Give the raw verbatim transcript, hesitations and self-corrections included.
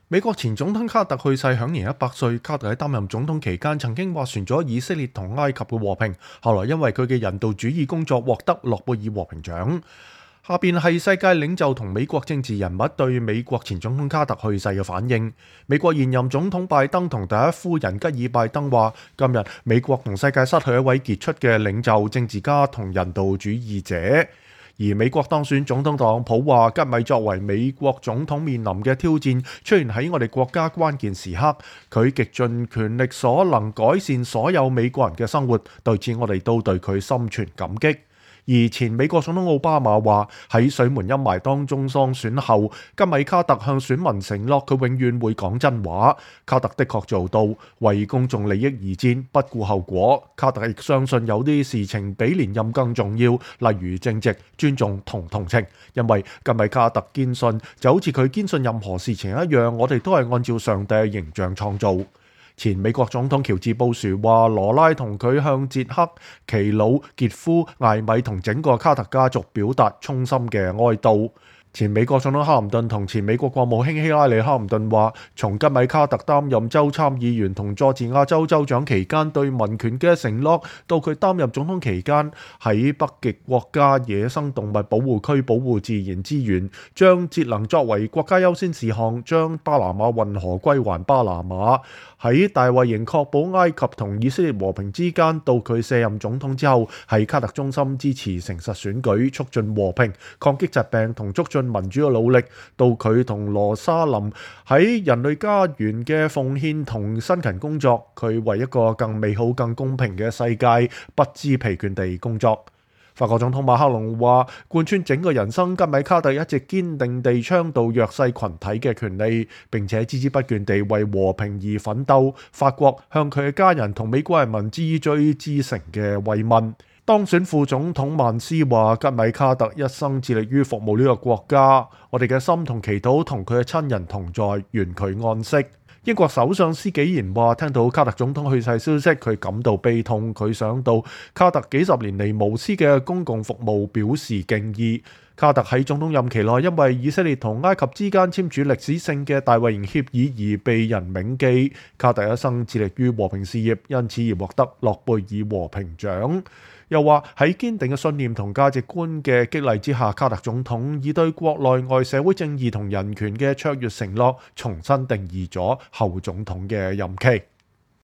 美國前總統卡特去世，享年一百歲。卡特喺擔任總統期間，曾經斡旋咗以色列同埃及嘅和平，後來因為佢嘅人道主義工作獲得諾貝爾和平獎。下邊係世界領袖同美國政治人物對美國前總統卡特去世嘅反應。美國現任總統拜登同第一夫人吉爾拜登話：今日美國同世界失去一位傑出嘅領袖、政治家同人道主義者。而美國當選總統特朗普話：吉米作為美國總統面臨嘅挑戰出現喺我哋國家關鍵時刻，佢極盡全力所能改善所有美國人嘅生活，對此我哋都對佢心存感激。而前美國總統奧巴馬話：喺水門陰霾當中當選後，吉米卡特向選民承諾佢永遠會講真話。卡特的確做到，為公眾利益而戰，不顧後果。卡特亦相信有啲事情比連任更重要，例如正直、尊重同同情。因為吉米卡特堅信，就好似佢堅信任何事情一樣，我哋都係按照上帝嘅形象創造。前美國總統喬治布殊話：羅拉同佢向捷克、奇魯、傑夫、艾米同整個卡特家族表達衷心嘅哀悼。前美國總統克林頓同前美國國務卿希拉里·克林頓話：從吉米卡特擔任州參議員同佐治亞州州長期間對民權嘅承諾，到佢擔任總統期間喺北極國家野生動物保護區保護自然資源，將節能作為國家優先事項，將巴拿馬運河歸還巴拿馬，喺大衛營確保埃及同以色列和平之間，到佢卸任總統之後，喺卡特中心支持誠實選舉，促進和平、抗擊疾病同促進民主嘅努力，到佢同羅莎林喺人類家園嘅奉獻同辛勤工作，佢為一個更美好、更公平嘅世界不知疲倦地工作。法國總統馬克龍話：貫穿整個人生，吉米卡特一直堅定地倡導弱勢群體嘅權利，並且孜孜不倦地為和平而奮鬥。法國向佢嘅家人同美國人民致最至誠嘅慰問。當選副總統曼斯話：吉米卡特一生致力於服務呢個國家，我哋嘅心同祈禱同佢嘅親人同在，願佢安息。英國首相施紀賢話：聽到卡特總統去世消息，佢感到悲痛。佢想到卡特幾十年嚟無私嘅公共服務，表示敬意。卡特喺總統任期內，因為以色列同埃及之間簽署歷史性嘅大衛營協議而被人銘記。卡特一生致力於和平事業，因此而獲得諾貝爾和平獎。又話喺堅定嘅信念同價值觀嘅激勵之下，卡特總統以對國內外社會正義同人權嘅卓越承諾，重新定義咗後總統嘅任期。